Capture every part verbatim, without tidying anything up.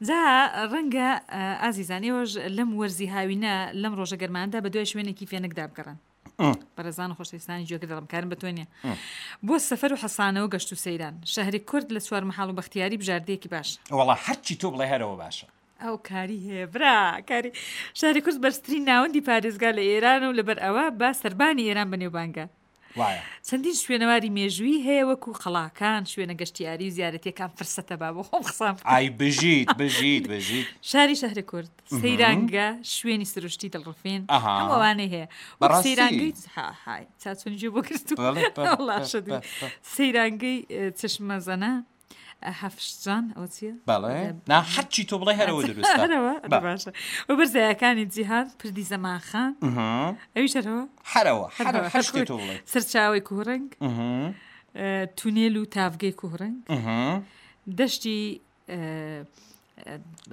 جا ڕەنگە ئازیزان ئێوەش لەم وەرزی هاوینە لەم ڕۆژە گەرماندا بە دوای شوێنێکی فێنکدا بگەڕن. بەڕێزان و خۆشەویستانی گوێگر دەڵم کارم بە تۆ نییە. بۆ سەفەر و حەسانەوە گەشت و سەیران شەهری کورد لە چوار مەحاڵ و بەختیاری بژاردەیەکی باشە. وەڵا هەرچی تۆ بڵێ هەرەوە باشە. ئەو کاری هەیە برا کاری شاری کورد بەرزترین ناوەندی پارێزگا لە ئێران و لەبەر ئەوە بە سەربانی ئێران بەنێوبانگە. وایە. چەندین شوێنەواری مێژوویی هەیە وەکو قەڵاکان، شوێنە گەشتیاری و زیارەتیەکان فرسەتە با بۆ خۆم قسان بکەم. ئای بژیت بژیت بژیت. شاری شەهر کورد، سەیرانگە، شوێنی سروشتی دڵڕفێن، ئەها. هەموو ئەوانەی هەیە. وەک بەڕاستی؟ سەیرانگەی ها های چا چۆن گوێ بۆ گرتوو. بەڵێ، بەڵێ، وەڵا بەڵێ، شەدی. بەڵێ. سەیرانگەی چشمەزەنە، هەفشجان، ئەوە چییە؟ بەڵێ. نا هەرچی تۆ بڵێ هەرەوە دروستە. هەرەوە؟ بە. باشە. و بەرزایەکانی جیهان، پردی زەمانخان. ئەویش هەرەوە؟ هەرەوە، هەرەوە، هەرەوە، هەر شتێ هەر تۆ بڵێ. سەرچاوەی کوهڕەنگ، تونێل و تاڤگەی کوهڕەنگ، دەشتی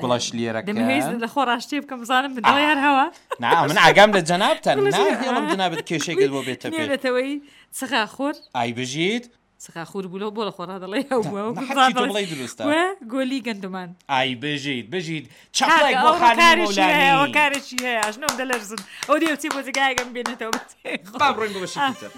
گوڵەشلیێرەکە. دەمەوێت لە خۆ ڕاشتێ بکەم بزانم من دەڵێ هەر هەوا. نا من ئاگام لە جەنابتە، گوڵەشلیێرە. ناهێڵم جەنابت کێشێکت بۆ بێتە پێش. نێونەتەوەی چغاخۆر. ئای بژیت. چغاخۆر بوو لەو بۆ لە خۆڕا دەڵێ ئەو بووە، نا، وەکو هەرچی تۆ بزان بڵێی دروستە. وە گۆلی گەندومان. ئای بژیت، بژیت. چەپڵێک کاکە، بۆ ئەو خانمی کارێکی هەیە، ئەو مەولانی. کارێکی هەیە، ئەژنۆم دەلەرزن. ئەو دێ چی بۆ جێگایەکەم بێنێتەوە. با بڕۆین بۆ بەشێکی تر.